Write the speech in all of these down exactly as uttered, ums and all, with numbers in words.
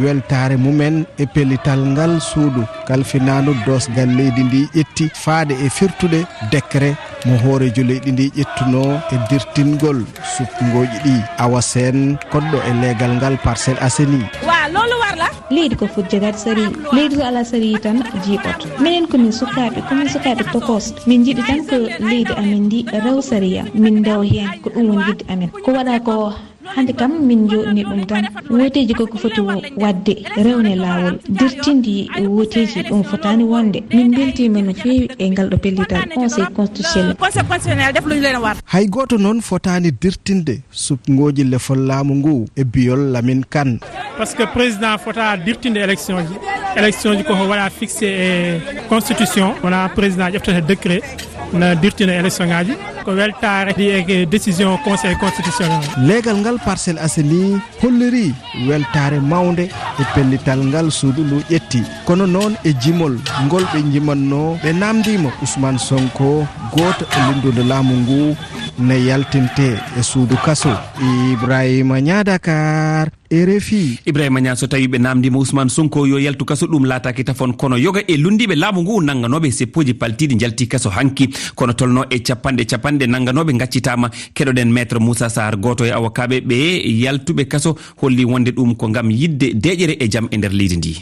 weltaare mumen e pellital ngal suudu kalfinaandu doosgal leydi ndi ƴetti faade e firtude décret mo hooreejo leydi ndi ƴettunoo e dirtingol supngooji ɗi. Awa Seen, koɗɗo e leegal ngal Parcelles Assainies. Wa, loolu war la. Leydi ko foti jogaade sariya. Leydi so alaa sariya tan jiiɓoto. Minen ko min sukaaɓe, ko min sukaaɓe tokosɓe. Min njiɗi tan ko leydi amen ndi rewa sariya. Min ndewa heen, ko ɗum woni yiɗde amen. Ko waɗa ko hannde kam min njooɗni ɗum tan. Wooteeji ko ko foti wo-, waɗde rewne laawol. Dirtindi wooteeji ɗum fotaani wonde. Min mbeltiima no feewi e ngal ɗo pellital Conseil constitutionnel. Conseil constitutionnel def lu ñu leen war. Hay gooto noon fotaani dirtinde supngooji lefol laamu ngu e biyol Lamin Kan. Parce que président fota dirtinde élection ji. Élection ji ko ko waɗa fixé e constitution, wona président ƴeftata décret na dirtina élection ngaji. Ko weltaare ɗi e décision Conseil constitutionnel. Leegal ngal Parcelles Assainies holliri weltaare mawnde e pellital ngal suudu ndu ƴetti. Kono noon e jimol ngol ɓe njimannoo, ɓe naamndiima Ousmane Sonko, gooto e lunndude laamu ngu, ne yaltinte e suudu kaso. Ibrahima Niang, Dakar, R F I. Ibrahima Niang, so tawii ɓe naamndiima Ousmane Sonko yo yaltu kaso, ɗum laataaki tafon, kono yoga e lunndiiɓe laamu ngu nannganooɓe seppooji paltiiɗi njalti kaso hanki, kono tolno e capanɗe capanɗe nannganooɓe ngaccitaama. Keɗoɗen Maître Moussa Sarr, gooto e awokaaɓe ɓe yaltuɓe kaso, holli wonde ɗum ko ngam yiɗde deeƴere e jam e nder leydi ndi.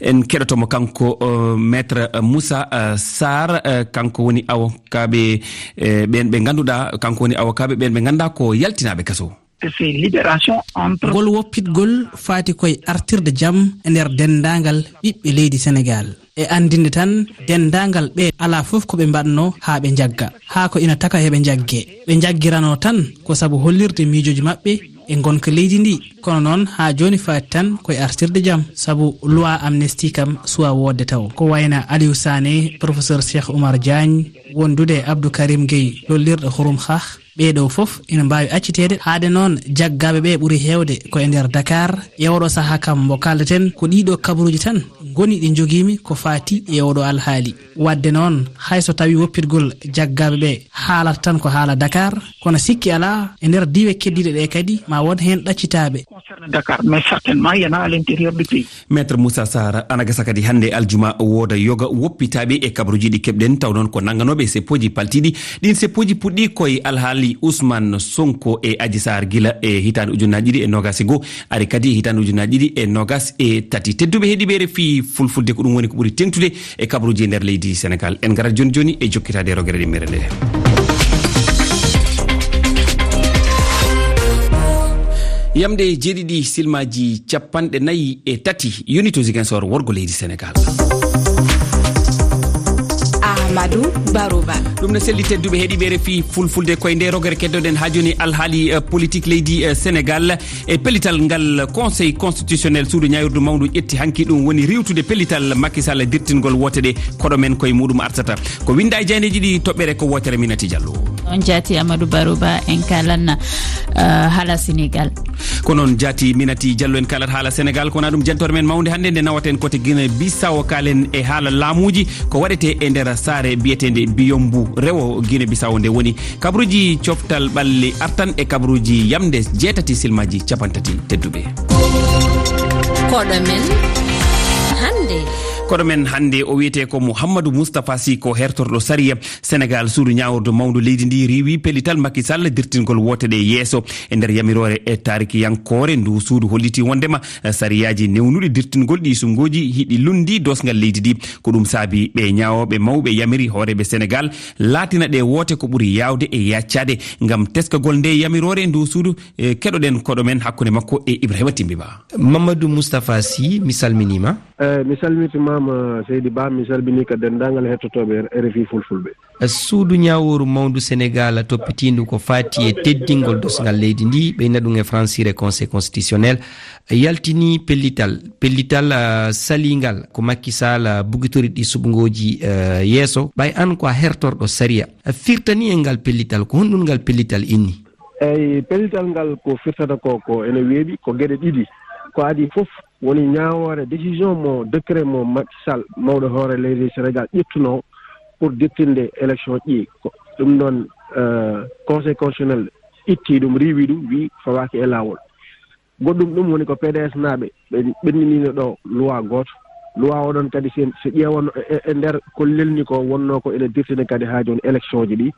En keɗoto mo kanko, eh, Maître Moussa, eh, Sarr, eh, kanko woni awokaaɓe, eh, ɓeen ɓe ngannduɗaa, kanko woni awokaaɓe ɓeen ɓe ngannduɗaa ko yaltinaaɓe kaso. C'est libération entre Ngol woppitgol faati koye artirde jam e nder denndaangal ɓiɓɓe leydi Senegaal. E anndinde tan, denndaangal ɓe alaa fof ko ɓe mbaɗnoo haa ɓe njagga, haa ko ina taka heɓe njagge. Ɓe njaggiranoo tan ko sabu hollirde miijooji maɓɓe e ngonka leydi ndi. Kono noon, haa jooni faati tan koye artirde jam, sabu loi amnesty kam suwaa woodde taw. Ko wayna Aliou Sané, professeur Cheikh Oumar Diagne, wondude e Abdou Karim Gueye, lollirɗo Xurum Xaax, ɓee ɗoo fof ina mbaawi acciteede. Haade noon, jaggaaɓe ɓee ɓuri heewde ko e nder Dakar. E oɗo sahaa kam mbo kaaldaten, ko ɗii ɗoo kabaruuji tan ngoni ɗi njogiimi ko faati e oɗo alhaali. Waɗde noon, hay so tawii woppitgol jaggaaɓe ɓee haalata tan ko haala Dakar, kono sikki alaa, e nder diiwe keddiiɗe ɗee kadi, ma won heen ɗaccitaaɓe. Concerne Dakar, mais certainement, il y en a à l'intérieur du pays. Maître Moussa Sarr, ana gasa kadi hannde aljuma wooda yoga woppitaaɓe e kabaruuji ɗi keɓɗen, taw noon ko nannganooɓe seppooji paltiiɗi. Ɗiin seppooji puɗɗii koye alhaali Ousmane Sonko e Adji Sarr gila e hitaande ujunnaaji ɗiɗi e noogaas e goo, ari kadi e hitaande ujunnaaji ɗiɗi e noogaas e tati. Tedduɓe heɗiiɓe R F I Fulfulde, ko ɗum woni ko ɓuri teeŋtude e kabaruuji e nder leydi Senegaal. En ngarat jooni jooni e jokkitaade e rogere ɗimmere nde. Yamde jeeɗiɗi silmaaji capanɗe nayi e tati yoni to Ziguinchor, worgo leydi Senegaal. Amadou Barouba. Ɗum ne selli, tedduɓe heɗiiɓe R F I Fulfulde, koye nde rogere keddoɗen haa jooni alhaali, eh, politique leydi, eh, Senegaal. E pellital ngal Conseil constitutionnel, suudu ñaawirdu mawndu ƴetti hanki, ɗum woni riiwtude pellital Macky Sall dirtingol woote ɗe. Koɗo men koye muɗum artata. Ko winnda e jayneeji ɗi toɓɓere ko wootere Minati Diallo. On jaati Amadou Barouba, en kalanna, eh, haala Senegaal. Ko noon jaati Minati Diallo, en kaalat haala Senegaal, ko wona ɗum jantore men mawnde hannde nde nawaten kote Guinée Bissau, kaalen e haala laamuuji ko waɗetee e nder saare biyeteende Biyombu rewo Guinée Bissau nde woni. Kabaruuji coftal ɓalli artan e kabaruuji yamde jeetati silmaaji capantati tedduɓe. Koɗo men hannde. Koɗo men hannde o wiyetee ko Mouhamadou Moustapha Sy, ko hertorɗo sariya Senegaal. Suudu ñaawirdu mawndu leydi ndi riiwi pellital Macky Sall dirtingol woote ɗe yeeso. E nder yamiroore e taarikiyankoore, ndu suudu holliti wonndema sariyaaji newnuɗi dirtingol ɗi sumngooji hiɗi lunndi doosngal leydi ndi. Ko ɗum saabi ɓe ñaawooɓe mawɓe yamiri hooreeɓe Senegaal laatina ɗe woote ko ɓuri yaawde e yaaccaade. Ngam teskagol nde yamiroore ndu suudu, e, keɗoɗen koɗo men hakkunde makko e Ibrahima Timbi Ba. Mamadou Moustapha Sy, mi salminiima. Eh, mi salmitimaama, Seydi Ba, mi salminii ka denndaangal hettotooɓe R F I Fulfulɓe. Suudu ñaawooru mawndu Senegaal toppitiindu ko faati e teddingol doosngal leydi ndi, ɓeyna ɗum e francire Conseil constitutionnel, yaltini pellital, pellital, ah, saliingal ko Macky Sall, ah, bugitori ɗi suɓngooji, ah, yeeso. Ɓay an ko a hertorɗo sariya, a firtani e ngal pellital, ko honɗum ngal pellital inni? Eyi, pellital ngal ko firtata ko, ko ene weeɓi, ko geɗe ɗiɗi. Ko adii fof woni ñaawoore, décision mo, décret mo Macky Sall, mawɗo hoore leydi Senegaal, ƴettunoo pour dirtinde élection ɗi. Ko ɗum ɗoon, eh, Conseil constitutionnel itti ɗum, riiwi ɗum, wi fawaaki e laawol. Goɗɗum ɗum woni ko P D S naaɓe ɓe ɓenndiniino ɗo loi gooto. Loi oɗon kadi, sen, so ƴeewano e, e, e nder ko lelni ko, wonnoo ko ene dirtine kadi haa jooni élection ji ɗi.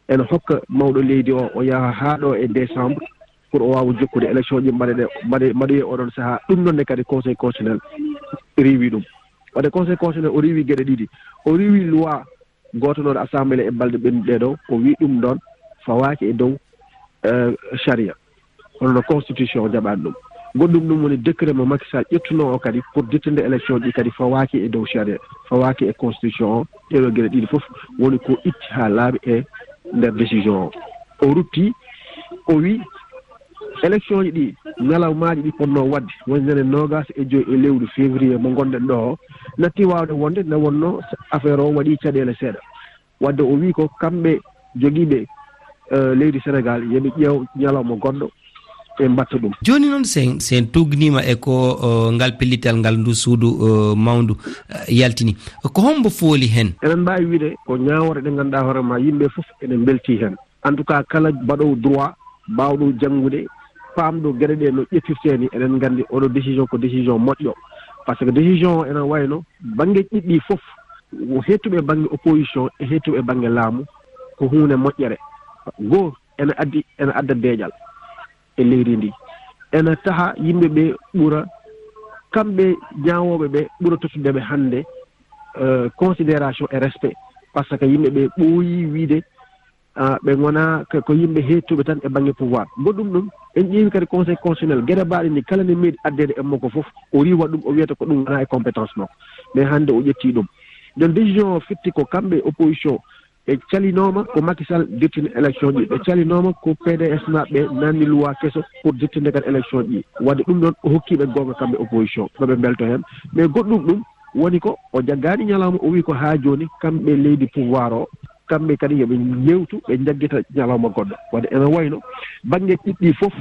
Ene hokka mawɗo leydi o, o yaha haa ɗo e décembre pour o waawa jokkude élection ji mbaɗe ɗe, mbaɗe, mbaɗoye oɗon sahaa. Ɗum noon ne kadi Conseil constitutionnel riiwi ɗum. Waɗde Conseil constitutionnel o riiwi geɗe ɗiɗi. O riiwi loi gooto noon assemblée e balɗe ɓennuɗe ɗo, o wii ɗum ɗoon fawaaki e dow, eh, sharia. Hono no constitution o jaɓaani ɗum. Goɗɗum ɗum woni décret mo Macky Sall ƴettunoo o kadi pour dittinde élection ɗi kadi fawaaki e dow sharia, fawaaki e constitution o. Ɗeɗo geɗe ɗiɗi fof woni ko itti haa laaɓi e nder décision o. O rutti, o wii élection ji ɗi, ñalawmaaji ɗi potnoo waɗde, woni ñande noogaas e joy e lewru février mo ngonɗen ɗo o, natti waawde wonde, nde wonnoo affaire o waɗi caɗeele seeɗa. Wadde o wii ko kamɓe jogiiɓe, eh, leydi Senegaal, yo ɓe ƴeew ñalawma goɗɗo, ɓe mbatta ɗum. Jooni noon, sen, sen tuugniima e ko, o, ngal pellital ngal ndu suudu, o, mawndu, eh, yaltini. Ko hombo fooli heen? Eɗen mbaawi wiyde ko ñaawoore ɗe ngannduɗaa hoore ma yimɓe fof ene mbeltii heen. En tout cas, kala mbaɗoowo droit, baawɗo janngude, paamɗo geɗe ɗe no ƴettirtee ni, eɗen nganndi oɗo décision ko décision moƴƴo. Par ce que décision o ene wayno bannge ɗiɗi fof, heettuɓe bannge opposition e heettuɓe bannge laamu, ko huunde moƴƴere. Goo, ene addi, ene adda deeƴal e leydi ndi. Ene taha yimɓe ɓe ɓura, kamɓe ñaawooɓe ɓe ɓura tottude ɓe hannde, euh, considération et respect. Par ce que yimɓe ɓe ɓooyi wiide, ah, ɓe ngona ko, ko yimɓe heettuɓe tan e bannge pouvoir. Goɗɗum ɗum, en ƴeewi kadi Conseil constitutionnel, geɗe mbaaɗe ni kala ne meeɗi addeede e makko fof, o riiwa ɗum, o wiyata ko ɗum wona e compétence makko. Mais hannde o ƴetti ɗum. Donc décision o fitti ko kamɓe opposition, ɓe calinooma ko Macky Sall dirtini élection ji, ɓe calinooma ko P D S maɓɓe nanni loi keso pour dirtinde kadi élection ji. Wadde ɗum ɗon o hokki ɓe goonga kamɓe opposition, no ɓe mbelto heen. Mais goɗɗum ɗum woni ko o jaggaani ñalawma, o wi ko haa jooni kamɓe leydi pouvoir o, kamɓe kadi yo ɓe njewtu, ɓe njaggita ñalawma goɗɗo. Wadde ene wayno bannge ɗiɗi fof,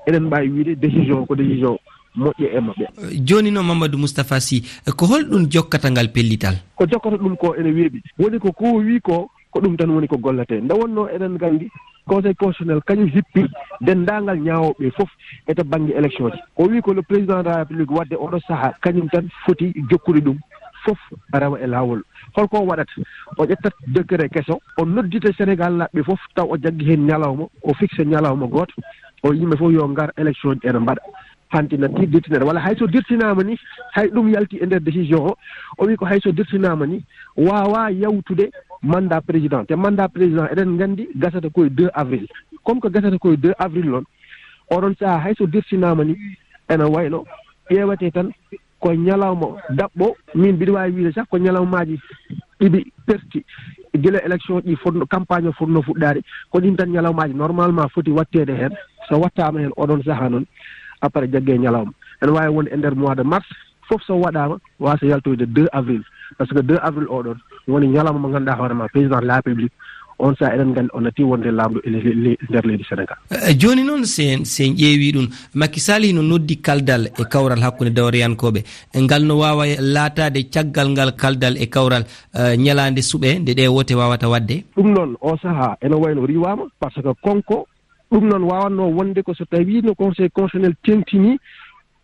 eɗen mbaawi wiide décision ko décision moƴƴo e maɓɓe. Jooni noon, Mamadou Moustapha Sy, ko holɗum jokkata ngal pellital? Ko jokkata ɗum ko ene weeɓi. Woni ko ko wi ko, ko ɗum tan woni ko golletee. Nde wonnoo eɗen nganndi Conseil constitutionnel kañum hippi denndaangal ñaawooɓe fof e to bannge élection ji. O wi ko le président de la République wadde oɗo sahaa kañum tan foti jokkude ɗum fof rewa e laawol. Holko o waɗata? O ƴettat décret keso, o noddita Senegaal naaɓe fof, taw o jaggi heen ñalawma, o fixe ñalawma gooto, o yimɓe fof yo ngar élection ji ene mbaɗa. Hanti natti dirtinere, walla hay so dirtinaama ni, hay ɗum yalti e nder décision o, o wi ko hay so dirtinaama ni, waawa yawtude mandat président. Te mandat président eɗen nganndi gasata ko e deux avril. Comme ko gasata ko e deux avril noon, oɗon sahaa hay so dirtinaama ni, ene wayno ƴeewete tan ko ñalawma daɓɓo, min mbiɗa waawi wiide sax ko ñalawmaaji ɗiɗi perti gila élection ɗi fotno, campagne o fotno fuɗɗaade, ko ɗin tan ñalawmaaji normalement foti watteede heen. So wattaama heen oɗon sahaa noon, après jagge ñalawma. Ene waawi wonde e nder mois de mars, fof so waɗaama, waasa yaltoyde deux avril. Par ce que deux avril oɗon woni ñalawma mo ngannduɗaa hoore ma, président de la République, on sahaa eɗen nganndi o natti wonde laamɗo e le-, le-, le-, nder leydi Senegaal. Eh, jooni noon, sen, sen ƴeewi ɗum, Macky Sall hino noddi kaldal e kawral hakkunde dawriyankooɓe. E ngal no waawa laataade caggal ngal kaldal e kawral, eh, ñalaande suɓe nde ɗe wote waawata waɗde? Ɗum noon, o sahaa ene wayno riiwaama, par ce que konko, ɗum noon waawatnoo wonde ko so tawii no Conseil constitutionnel teŋtinii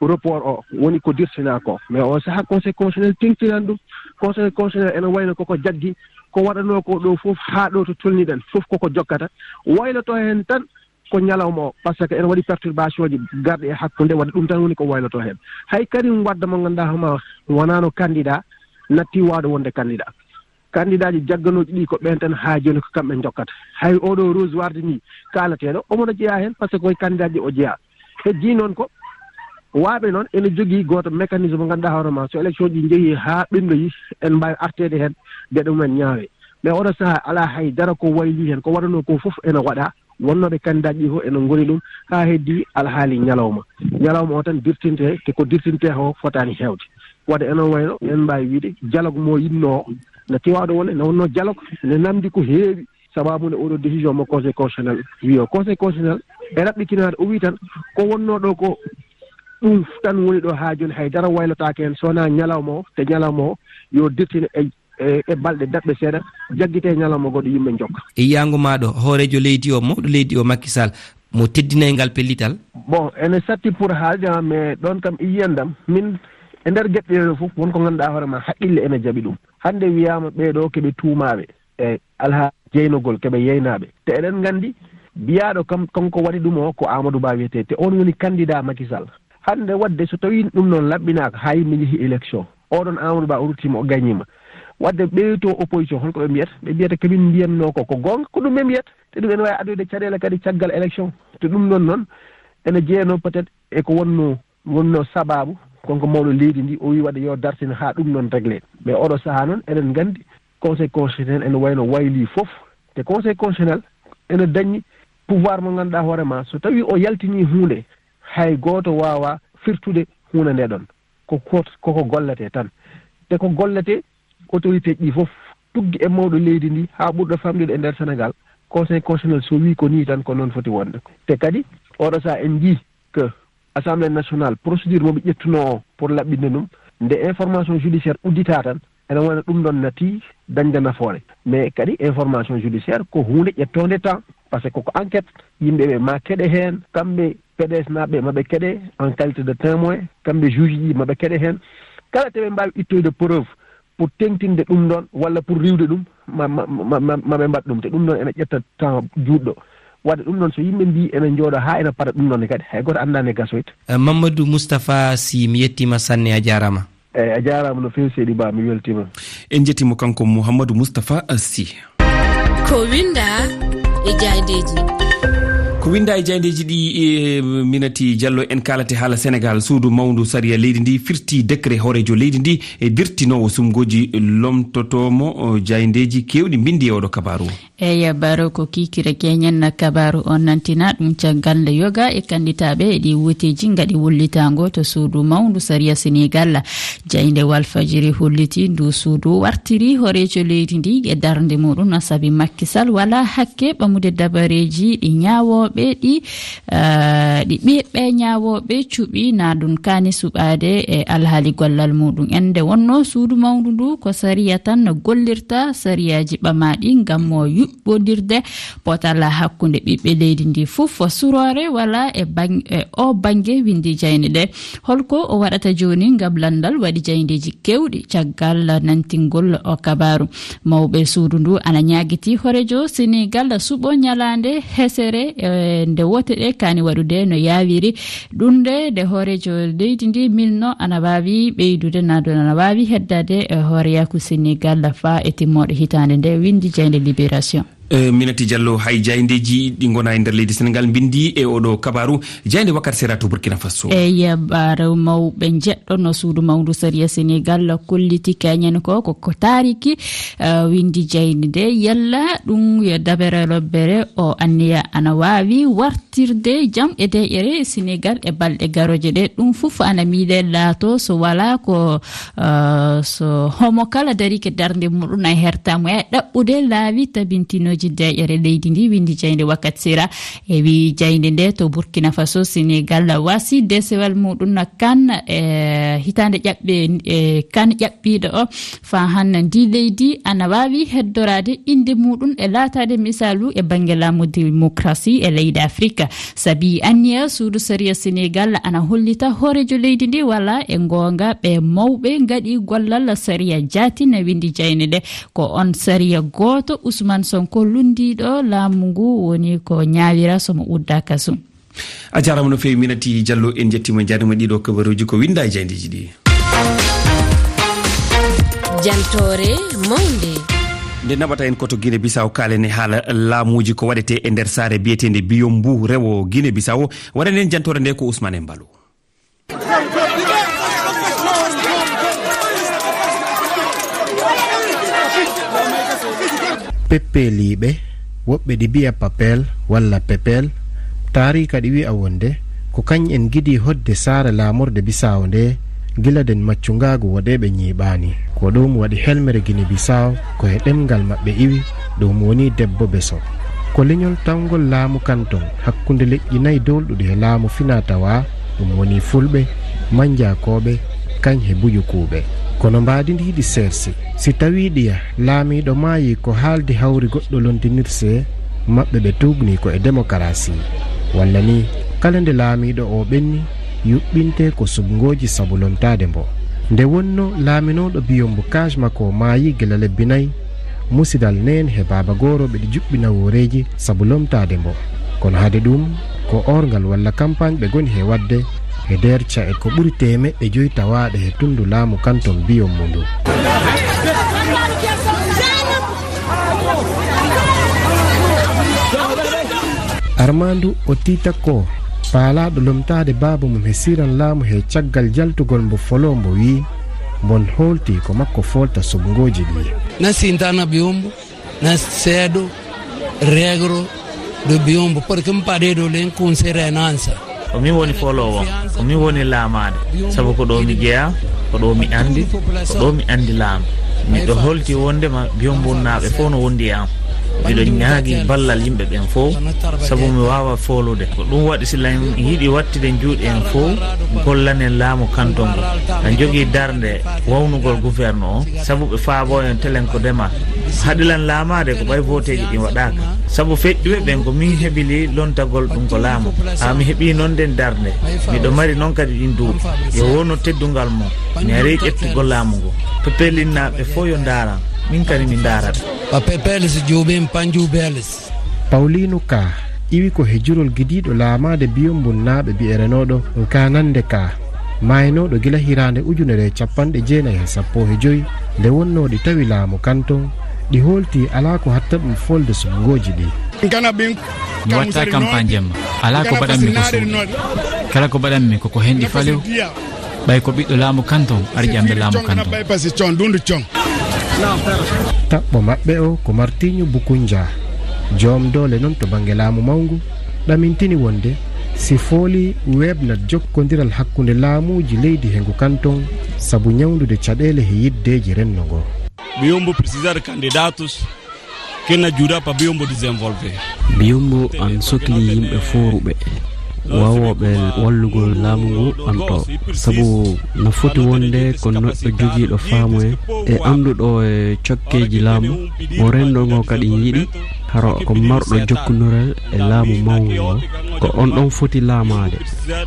report o, woni ko dirtinaa ko. Mais o sahaa Conseil constitutionnel teŋtinaani ɗum. Conseil constitutionnel ene wayno koko jaggi, ko waɗanoo ko ɗo fof haa ɗo to tolniɗen fof koko jokkata. Wayloto heen tan ko ñalawma o, par ce que ene waɗi perturbation ji garɗi e hakkunde, wadde ɗum tan woni ko wayloto heen. Hay Karim Wade mo ngannduɗaa hoore ma wonaano candidat, natti waawde wonde candidat. Candidat ji jagganooji ɗi ko ɓeen tan haa jooni ko kamɓe njokkata. Hay oɗo Rose Wardini kaalateeɗo, omo no jeyaa heen, par ce que ko e candidat ji o jeyaa. Heddii noon ko, waaɓe noon ene jogii gooto mécanisme mo ngannduɗaa hoore ma, so élection ji njehii haa ɓenndoyi, en mbaawi arteede heen, geɗe mumen ñaawee. Mais oɗo sahaa alaa hay dara ko waylii heen, ko waɗanoo ko fof ene waɗaa. Wonnooɓe candidat ji fof ene ngoni ɗum, haa heddii alhaali ñalawma. Ñalawma o tan dirtinte, te ko dirtinte o fotaani heewde. Wadde ene wayno, en mbaawi wiide, dialogue mo yinnoo o, natti waawde wonde, ne wonnoo dialogue, ne namdi ko heewi. Sababu nde oɗo décision mo Conseil constitutionnel wi o. Conseil constitutionnel e raɓɓitinaade, o wi tan ko wonnoo ɗo ko ɗum tan woni ɗo haa jooni, hay dara waylotaake heen, so wonaa ñalawma o, te ñalawma o yo dirtine e, e, e balɗe daɓɓe seeɗa, jaggitee ñalawma goɗɗo, yimɓe njokka. E yiyaango maaɗo, hooreejo leydi o, mawɗo leydi o, Macky Sall, mo teddinay ngal pellital? Bon, ene satti pour haalde, ah, mais ɗoon kam e yiyannde am, min, e nder geɗe ɗee ɗoo fof, won ko ngannduɗaa hoore ma, haqqille ene jaɓi ɗum. Hannde wiyaama ɓee ɗoo ko ɓe tuumaaɓe e alhaali jeynogol, ko ɓe yeynaaɓe. Te eɗen nganndi, biyaaɗo kam, kanko waɗi ɗum o, ko Amadou Ba wiyetee, te oon woni candidat Macky Sall. Hannde waɗde, so tawii ɗum noon laɓɓinaaka, haa yimɓe njehi élection, oɗon Amadou Ba o ruttiima, o gañiima. Waɗde ɓeeto opposition, holko ɓe mbiyata? Ɓe mbiyata ko min mbiyatnoo ko, ko goonga, ko ɗum ɓe mbiyata. Te ɗum ene waawi addoyde caɗeele kadi caggal élection. Te ɗum noon noon, ene jeyanoo peut-être e ko wonnoo, wonnoo sabaabu, kanko mawɗo leydi ndi, o wii waɗde yo dartin haa ɗum noon réglé. Mais oɗo sahaa noon, eɗen nganndi Conseil constitutionnel ene wayno waylii fof. Te Conseil constitutionnel ene dañi pouvoir mo ngannduɗaa hoore ma, so tawii o yaltinii huunde, hay gooto waawaa firtude huunde nde ɗoon. Ko kot-, koko golletee tan. Te ko golletee, autorité ji ɗi fof, tuggi e mawɗo leydi ndi haa ɓurɗo famɗude e nder Sénégal, Conseil constitutionnel so wii ko nii tan, ko noon foti wonde. Te kadi, oɗo sahaa en njii que Assemblée nationale, procédure mo ɓe ƴettunoo o pour laɓɓinde ɗum, nde information judiciaire udditaa tan, ene wayno ɗum ɗoon nati dañde nafoore. Mais kadi information judiciaire ko huunde ƴettoonde temps, parce que koko enquête, yimɓe ɓe ma keɗe heen, kamɓe P D S naaɓe ma ɓe keɗe en qualité de témoin, kamɓe juge ji ma ɓe keɗe heen. Kala te ɓe mbaawi ittoyde preuve pour teŋtinde ɗum ɗoon walla pour riiwde ɗum, ma, ma, ma, ma, ma ɓe mbaɗ ɗum. Te ɗum ɗoon ene ƴetta temps juutɗo. Waɗde ɗum ɗoon, so yimɓe mbii ene njooɗo haa ene para ɗum ɗoon ne kadi, hay gooto anndaa nde gasoyta. Eh, Mamadou Moustapha Sy, mi yettiima sanne, a jaaraama. Eeyi, a jaaraama no feewi, seydi Ba, mi weltiima. En njettii mo kanko Mouhamadou Moustapha Sy. Ko winnda e jaaydeeji. Ko winnda e jaaydeeji ɗi, e, Minati Diallo, en kaalate haala Senegaal. Suudu mawndu sariya leydi ndi firti décret hooreejo leydi ndi, e dirtinoowo sumgooji lomtotoomo, o, jaaydeeji keewɗi mbinndi e oɗo kabaaru. Eeyi, Baro, ko kiikiiɗe keñen kabaaru on nantina ɗum caggal nde yoga e kannditaaɓe e ɗi woteeji ngaɗi wullitaango to suudu mawndu sariya Senegaal. Jaaynde Walfajiri holliti ndu suudu wartiri hooreejo leydi ndi e darnde muɗum, no sabi Macky Sall wala hakke ɓamude dabareeji ɗi ñaawooɓe ɗi, ah, ɗi ɓiɓɓe ñaawooɓe cuɓi na ɗum kaani suɓaade e alhaali gollal muɗum. En nde wonno suudu mawndu ndu ko sariya tan no gollirta sariyaaji ɓamaaɗi ngam mo yuɓɓondirde potal hakkunde ɓiɓɓe leydi ndi fof. Suroore wala e bang-, e o bannge, winndi jaaynde nde. Holko o waɗata jooni ngam lanndal waɗi jaayndeeji keewɗi caggal nantingol o kabaaru? Mawɓe suudu ndu ana ñaagiti hooreejo Senegaal suɓo ñalaande hesere, e, nde wote ɗe kaani waɗude no yaawiri. Ɗum nde, nde hooreejo leydi ndi milno ana waawi ɓeydude, na ɗum ana waawi heddaade e hooreyaaku Senegaal faa e timmooɗe hitaande nde, winndi jaaynde Libération. Eh, Minati Diallo, hay jaayndeeji ɗi ngona e nder leydi Senegaal mbinndi e oɗo kabaaru, jaaynde Wakkati Sera to Burkina Faso. Eeyi, Baro, mawɓe njeɗɗo no suudu mawndu sariya Senegaal kolliti keñen ko, ko, ko taariki, eh, winndi jaaynde nde, yalla ɗum yo dabere lobbere o anniya ana waawi wartirde jam e deeƴere Senegaal e balɗe garooje ɗe. Ɗum fof ana miile laato so wala ko, eh, so homo kala darike darnde muɗum e hertamo e ɗaɓɓude laawi tabintinooji deeƴere leydi ndi, winndi jaaynde Wakkati Sera. E wi jaaynde nde to Burkina Faso, Senegaal wasi desewal muɗum na kan, e hitaande ƴaɓɓe, e kan ƴaɓɓiiɗo o, faa hanna ndi leydi ana waawi heddoraade innde muɗum e laataade misaalu e bannge laamu demokrasi e leyɗe Afrika. Sabi anniya suudu sariya Senegaal ana hollita hooreejo leydi ndi wala e ngoonga ɓe mawɓe ngaɗi gollal sariya jaati, na winndi jaaynde nde. Ko on sariya gooto Ousmane Sonko lunndiiɗo laamu ngu woni ko ñaawira so mo udda kasu. A jaaraama no feewi, Minati Diallo, en njettiima, en njaarniima ɗiɗo kabaruuji ko winnda e jaayndeeji ɗi. Jantoore mawnde. Nde naɓata en ko to Guinée Bissau, kaalen e haala laamuuji ko waɗetee e nder saare biyeteende Biyombu rewo Guinée Bissau. Waɗanen jantoore nde ko Ousmane Embalo. Peppeeliiɓe, woɓɓe ɗi mbiya papel walla pepel, taariika ɗi wi'a wonde ko kañ en ngiɗi hoɗde saare laamorde Bisaawo nde gila nden maccungaagu woɗeeɓe ñiiɓaani. Ko ɗum waɗi helmere Gine Bisaawo ko e ɗemngal maɓɓe iwi, ɗum woni debbo beso. Ko leñol tawngol laamu kanton hakkunde leƴƴi nayi doolɗuɗi he laamu finaa tawaa, ɗum woni Fulɓe, Mannjakooɓe, kañ he Buyukuuɓe. Kono mbaadi ndi hiɗi seersi. Si tawii ɗiya laamiiɗo maayii ko haaldi hawri goɗɗo londinirse, maɓɓe ɓe tuugnii ko e demokarasi. Walla ni, kala nde laamiiɗo o ɓenni, yuɓɓinte ko suɓngooji sabu lomtaade mbo. Nde wonno laaminooɗo Biyombo Kaj makko maayi gila lebbi nayi, musidal neen he baaba gooro ɓeɗi juɓɓi nawooreeji sabu lomtaade mbo. Kono hade ɗum, ko oorngal walla kampaañ ɓe ngoni he waɗde, he nder ca'e ko ɓuri teemeɗɗe joyi tawaaɗe he tunndu laamu kanton Biyombo ndu. Armandu Otita Ko, paalaaɗo lomtaade baaba mum he siran laamu he caggal jaltugol mbo foloo mbo wiyi, mbon hoolti ko makko foolta suɓngooji ɗi. Na sintana Biyombo, na seedo, regro, do Biyombo, porque mi padedo len kun serenansa. Ko min woni fooloowo, ko min woni laamaade, sabu ko ɗo mi jeyaa, ko ɗo mi anndi, ko ɗo mi anndi laamu. Miɗo holti wonndema Biyombunnaaɓe fof no wondi e am. Miɗo ñaagi ballal yimɓe ɓen fof, sabu mi waawa foolude. Ko ɗum waɗi si lan yiɗi waɗtude juuɗe en fof, gollanen laamu kanton ngun. Lan jogii darnde wawnugol gouverne o, sabu ɓe faaboo en telen ko demal. Haɗi lan laamaade ko ɓay vooteeji ɗin waɗaaka. Sabu feƴƴuɓe ɓen ko min heɓili lontagol ɗum ko laamu. Haa mi heɓii non nden darnde. Miɗo mari non kadi ɗin duuɓi. Yo wonu teddungal mon. Mi arii ƴettugol laamu ngun. Pepelinnaaɓe fof yo ndaaran. Min kadi mi ndaara ɓe. Papepeles juuɓin panjuubeles. Pawliinu Ka iwi ko he jurol gidiiɗo laamaade Biyombunnaaɓe bi'erenooɗo Nkaanannde Ka, maaynooɗo gila hiraande ujunere e capanɗe jeenayi e sappo e joy, nde wonnoo ɗi tawi laamu kanton, ɗi hoolti alaa ko hatta ɗum foolde suɓngooji ɗi. Mi watta kampaañ jemma. Alaa ko mbaɗanmi ko suuɗe. Kala ko mbaɗanmi ko ko hen ɗi falew. Ɓay ko ɓiɗɗo laamu kanton arƴamɓe laamu kanton. Taɓɓo maɓɓe o ko Martinho Bukunja, joom doole non to bannge laamu mawngu, ɗamintini wonde si fooli weeɓnat jokkondiral hakkunde laamuuji leydi he ngu kanton sabu ñawndude caɗeele he yiddeeji renndo ngo. Biyombo precisa de candidatos que na ajuda para Biyombo desenvolver. Biyombo an sokli yimɓe fooruɓe, waawooɓe wallugol laamu ngu an ɗo, sabu na foti wonde ko neɗɗo jogiiɗo faamu e, e annduɗo e cokkeeji laamu, mo renndo ngo kadi yiɗi, hara ko marɗo jokkondiral e laamu mawngu ngo, ko on ɗon foti laamaade.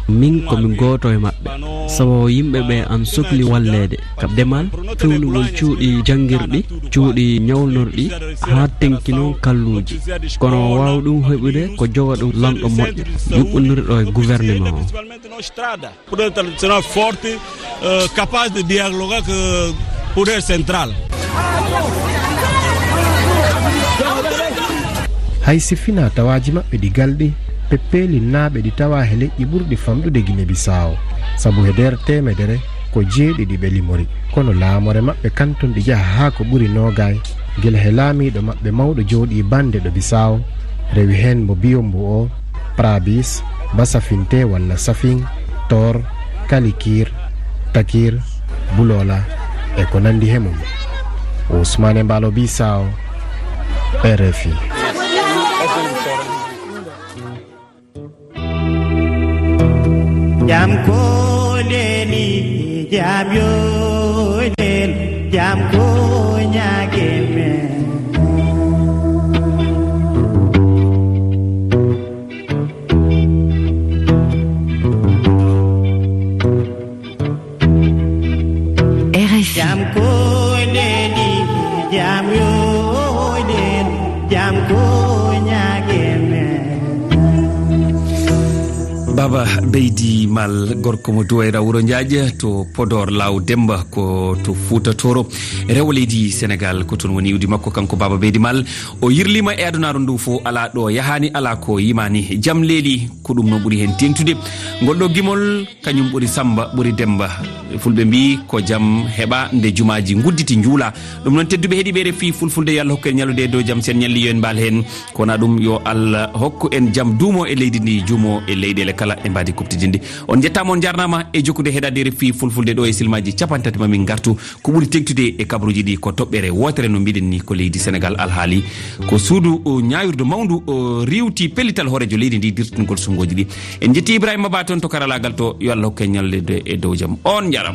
Min ko mi gooto e maɓɓe, sabu yimɓe ɓe an sokli walleede ka demal, fewnugol cuuɗi janngirɗi, cuuɗi ñawnorɗi, haa tenki noon kalluuji. Kono waawa ɗum heɓude ko joga ɗum lanɗo moƴƴo, yuɓɓondirɗo e gouvernement o. Poder tradicional forte, eh, capaz de dialogar com o poder central. Hay si finaa tawaaji maɓɓe ɗi galɗi, Peppeelinnaaɓe ɗi tawaa he leƴƴi ɓurɗi famɗude Gine Bisaawo, sabu he nder teemedere ko jeeɗiɗi ɓe limori. Kono laamore maɓɓe kanton ɗi jaha haa ko ɓuri noogaay, gila he laamiiɗo maɓɓe mawɗo jooɗii Bande ɗo Bisaawo, rewi heen mo Biyombo o, Prabis, Basafinte walla Safin, Tor, Kalikir, Takir, Bulola, e ko nanndi he mum. Ousmane Mbaalo Bisaawo, R F I. Jam ko leli, jam yo lel, jam ko ñaage men. R F I. Jam ko leli, jam yo lel, jam ko ñaage men. Baba Beydi Mal, gorko mo Duwayra Wuro Njaaƴ to Podor Laaw Demba, ko to Fuuta Tooro, rewo leydi Senegaal, ko toon woni iwdi makko kanko Baba Beydi Mal. O yirliima e adunaaru ndu fof, alaa ɗo yahaani, alaa ko yimaani. Jam leeli, ko ɗum noon ɓuri heen teeŋtude. Ngol ɗo gimol, kañum ɓuri Sammba, ɓuri Demmba. Fulɓe mbii, ko jam heɓa nde jumaaji ngudditi njuula. Ɗum noon, tedduɓe heɗiiɓe R F I Fulfulde, yo Allah hokku en ñallude e dow jam, sen ñalli yo en mbaal heen. Ko wonaa ɗum, yo Allah hokku en jam, duumo e leydi ndi, juumo e leyɗeele kala e mbaadi kuɓtidinɗi. On njettaama, on njaarnaama e jokkude heɗaade R F I Fulfulde ɗo e silmaaji cappanɗe tati ma min ngartu. Ko ɓuri teeŋtude e kabaruuji ɗi ko toɓɓere wootere, no mbiɗen ni, ko leydi Senegaal alhaali. Ko suudu, o, ñaawirdu mawndu, o, riiwti pellital hooreejo leydi ndi, dirtingol suɓngooji ɗi. En njetti Ibrahima Ba toon to karalaagal to, yo Allah hokku en ñallude e dow jam. On njaaraama.